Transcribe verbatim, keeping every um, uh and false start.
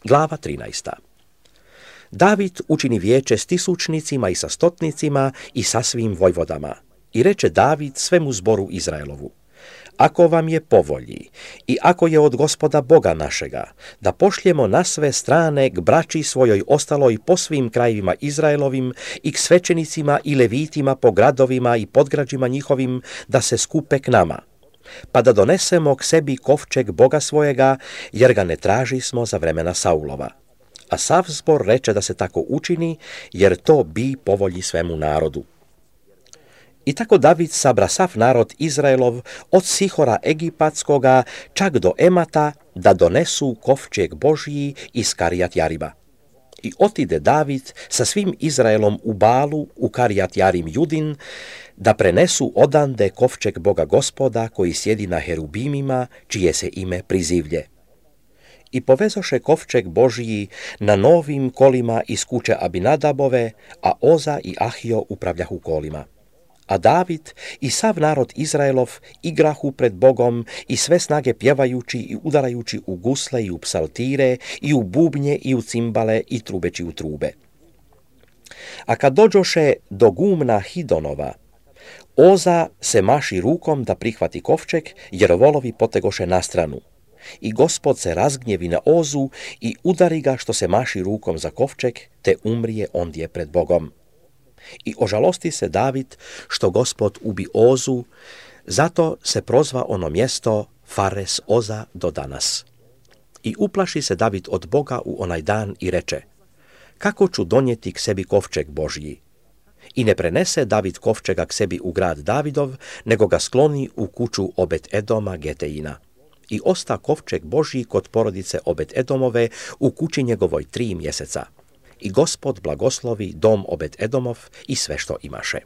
Glava trinaesta. David učini vijeće s tisućnicima i sa stotnicima i sa svim vojvodama. I reče David svemu zboru Izraelovu: ako vam je po volji i ako je od Gospoda Boga našega, da pošljemo na sve strane k braći svojoj ostaloj po svim krajevima Izraelovim i k svećenicima i levitima po gradovima i podgrađima njihovim, da se skupe k nama, pa da donesemo k sebi kovčeg Boga svojega, jer ga ne traži smo za vremena Saulova. A sav zbor reče da se tako učini, jer to bi po volji svemu narodu. I tako David sabra sav narod Izraelov od Sihora Egipatskoga čak do Emata, da donesu kovčeg Božji iz Karijat Jariba. I otide David sa svim Izraelom u Balu, u Karijat Jarim Judin, da prenesu odande kovčeg Boga Gospoda koji sjedi na herubimima, čije se ime Prizivlje. I povezoše kovčeg Božji na novim kolima iz kuće Abinadabove, a Oza i Ahio upravljahu kolima. A David i sav narod Izraelov igrahu pred Bogom i sve snage pjevajući i udarajući u gusle i u psaltire i u bubnje i u cimbale i trubeći u trube. A kad dođoše do gumna Hidonova, Oza se maši rukom da prihvati kovčeg, jer volovi potegoše na stranu. I Gospod se razgnjevi na Ozu i udari ga što se maši rukom za kovčeg, te umrije ondje pred Bogom. I ožalosti se David što Gospod ubi Ozu, zato se prozva ono mjesto Fares Oza do danas. I uplaši se David od Boga u onaj dan i reče: kako ću donijeti k sebi kovčeg Božji? I ne prenese David kovčega k sebi u grad Davidov, nego ga skloni u kuću Obed Edoma Geteina. I osta kovčeg Božji kod porodice Obed Edomove u kući njegovoj tri mjeseca. I Gospod blagoslovi dom Obed Edomov i sve što imaše.